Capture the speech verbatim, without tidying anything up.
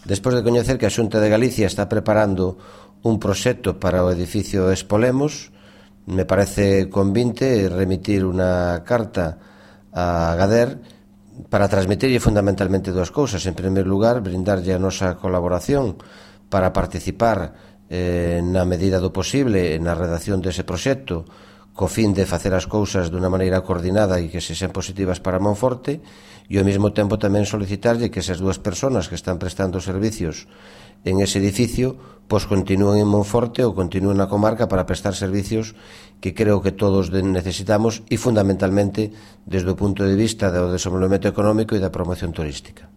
Despois de coñecer que a Xunta de Galicia está preparando un proxecto para o edificio Expolemos, me parece convinte remitir unha carta a Gader para transmitirlle fundamentalmente dúas cousas. En primeiro lugar, brindarlle a nosa colaboración para participar eh, na medida do posible na redacción dese proxecto, co fin de facer as cousas dunha maneira coordinada e que se sean positivas para Monforte, e ao mesmo tempo tamén solicitarlle que esas dúas persoas que están prestando servicios en ese edificio pois continúen en Monforte ou continúen na comarca para prestar servicios que creo que todos necesitamos e fundamentalmente desde o punto de vista do desenvolvemento económico e da promoción turística.